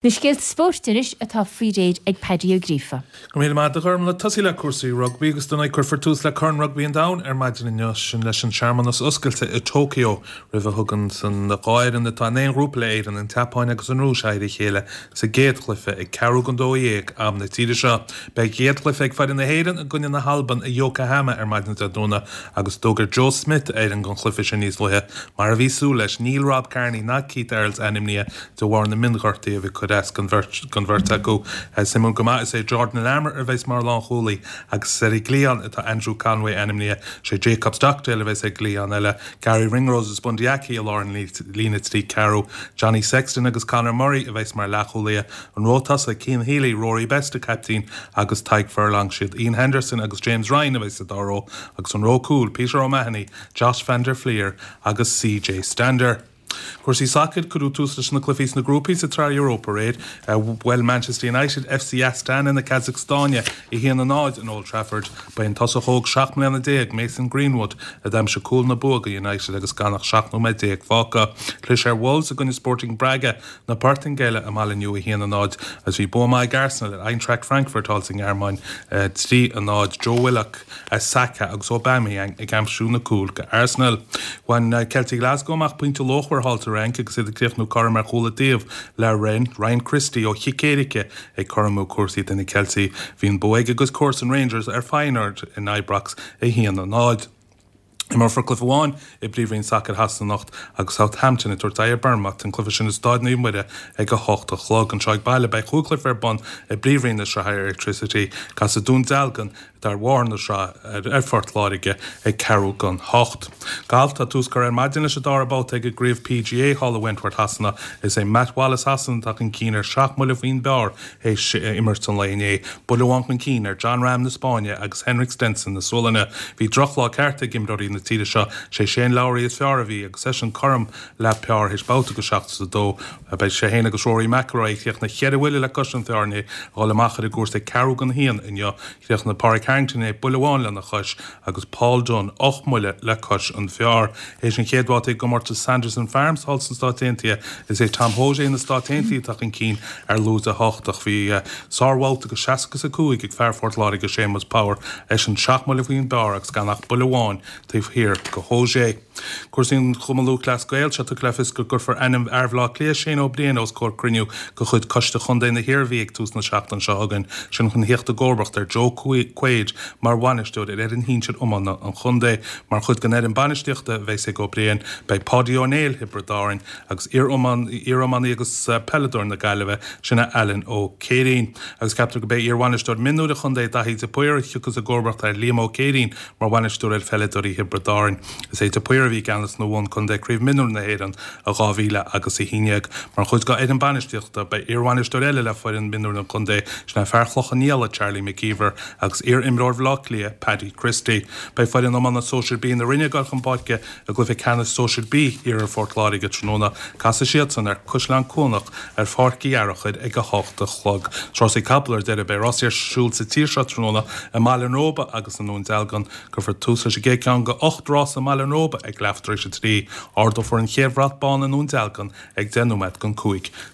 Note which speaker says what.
Speaker 1: Na scéalta spóirt anois atá faoi réir ag Paddy Ó Gríofa.
Speaker 2: Go raibh míle maith agat a Ghormlaith. Tosaí le cúrsaí rugbaí agus dar ndóigh cuirfear tús le Corn Rugbaí an Domhain ar maidin inniu, sin leis an searmanas oscailte i Tokyo roimh a thugann san dhá fhoireann atá in aon ghrúpa le Éirinn, an tSeapáin agus an Rúis, aghaidh ar a chéile sa gcéad chluiche ag ceathrú don 12 am na tíre seo. Beidh an chéad chluiche ag foireann na hÉireann i gcoinne na hAlban i Yokohama ar maidin Dé Domhnaigh agus d'fhógair Joe Schmidt a fhoireann don chluiche sin níos luaithe. Mar a bhí súil leis, níl Rob Kearney ná Keith Earls ainmnithe de bharr na mionghortuithe a bhí ag cur as don bheirt acu. Suimiúil go maith, is é Jordan Larmour a bheas mar lánchúlaí agus ar an gcliathán atá Andrew Conway ainmnithe. Sé Jacob Stockdale a bheas ar an gcliathán eile, Garry Ringrose agus Bundee Aki i lár an líne 3 ceathrú, Johnny Sexton agus Conor Murray a bheas mar leathchúlaithe, an ró tosaigh, Cian Healy, Rory Best, an caiptín, agus Tadhg Furlong. Siad Iain Henderson agus James Ryan a bheas sa dá ró agus an ró cúil, Peter O'Mahony, Josh van der Flier agus CJ Stander. Cúrsaí sacair, Cuireadh tús leis na cluichí sna grúpaí sa tSraith Europa aréir. Bhuail Manchester United FC Astana na Casacstáine 1-0 in Old Trafford. Ba é an tosach óg 17 mbliana, Mason Greenwood, a d'aimsigh cúl na bua do United agus gan ach 17 nóiméad fágtha. Chlis ar Wolves i gcoinne Sporting Braga na Portaingéile i mbaile inniu 1-0 agus bhí bua maith ag Arsenal ar Eintracht Frankfurt thall sa nGearmáin 3-0. Joe Willock. Saka agus Aubameyang ag aimsiú na cúil go Arsenal. Bhain Celtic Glasgow amach pointe luachmhar thall sa Fhrainc agus iad ag críochnú cothrom ar chúl an taobh le Rennes. Ryan Christie ó chic éirice ag cothromú cúrsaí do na Ceiltigh. Bhí an bua ag a gcuid comharsan Rangers ar Feyenoord in Ibrox 1-0. Imreofar cluiche amháin i bPríomhroinn Sacair Shasana anocht agus Southampton ag tabhairt aghaidh ar Bournemouth, an cluiche sin i Stáid Naomh Muire ag 8 a chlog. Anseo ag baile beidh chúig chluiche ar bun i bPríomhroinn na Sraithe Airtricity. Casfaidh Dún Dealgan atá ar bharr na sraithe ar Phort Láirge ag ceathrú don hocht. Galf, Tá tús curtha ar maidin leis an dara babhta ag an gCraobh PGA thall i Wentworth Shasana. Is é Matt Wallace Shasana atá chun cinn ar sheacht mbuille faoin bpar théis imirt an lae inné. Buille amháin chun cinn ar Jon Rahm na Spáinne agus Henrik Stenson na Sualainne. Bhí drochlá ceart ag imreoirí na tíre seo. Sé Shane Lowry is fearr a bhí agus eisean cothrom le par théis babhta go 72. Beidh sé féin agus Rory McIlroy, a chríochnaigh cheithre bhuille le cois an phar inné, ag dul amach ar an gcúrsa ag ceathrú don haon inniu. Chríochnaigh Pádraig Harrington inné buille amháin lena chois agus Paul Dunne ocht mbuille le cois an phar. Théis an chéad bhabhta i gcomórtas Sanderson Farms thall sna Stáit Aontaithe, is é Tom Hoge na Stát Aontaithe atá chun cinn ar lúide 8 ach bhí sárbhabhta go 65 ag fear Phort Láirge Séamus Power, eisean seacht mbuille faoin bpar agus gan ach buille amháin taobh thiar de Hoge. Cúrsaí an Chumann Lúthchleas Gael, tá tugtha le fios go gcuirfear ainm fhear Bhaile Átha Cliath, Shane Ó Briain, os comhair cruinniú de chuid Coiste Chontae na hIarmhí ag tús na seachtaine seo chugainn, sin chun theacht i gcomharbacht ar Joe Quaid mar bhainisteoir ar fhoireann shinsir iomána an chontae. Mar chuid den fhoireann bainistíochta a bheas ag Ó Briain, beidh Páidí Ó Néill Thiobraid Árann agus iar-iománaí agus peileadóir na Gaillimhe, sin é Alan Ó Céirín. Agus ceaptar gurb é iar-bhainisteoir mionúir an chontae, Daithí de Paor, a thiocfas i gcomharbacht ar Liam Ó Céirín Mar bhainisteoir ar pheileadóirí Thiobraid Árann, is é de Paor a bhí i gceannas nuair a bhuaigh an contae Craobh Mionúir na hÉireann i 2011. Mar chuid dá fhoireann bainistíochta, beidh iarbhainisteoir eile le foireann mionúir an chontae, sin é fear Chloich Cheann Fhaola, Charlie McKeever, agus iar-imreoir Bhaile Átha Cliath, Paddy Christie. Beidh foireann iomána Sóisir B na Rinne ag dul chun páirce i gcluiche ceannais Sóisir B Iarthar Phort Láirge tráthnóna. Casfaidh siadsan ar Caisleán Cuanach ar Pháirc Uí Fhearachair ag 8 a chlog. Rásaí capall ar deireadh. Beidh rásaí ar siúl sa tír seo tráthnóna i mBaile an Róba agus i nDún Dealgan. Cuirfear tús leis an gcéad cheann de 8 rása i mBaile an Róba ag leathuair tar éis a 3. Ardófar an chéad bhrat bán i nDún Dealgan ag 5 nóiméad don 5.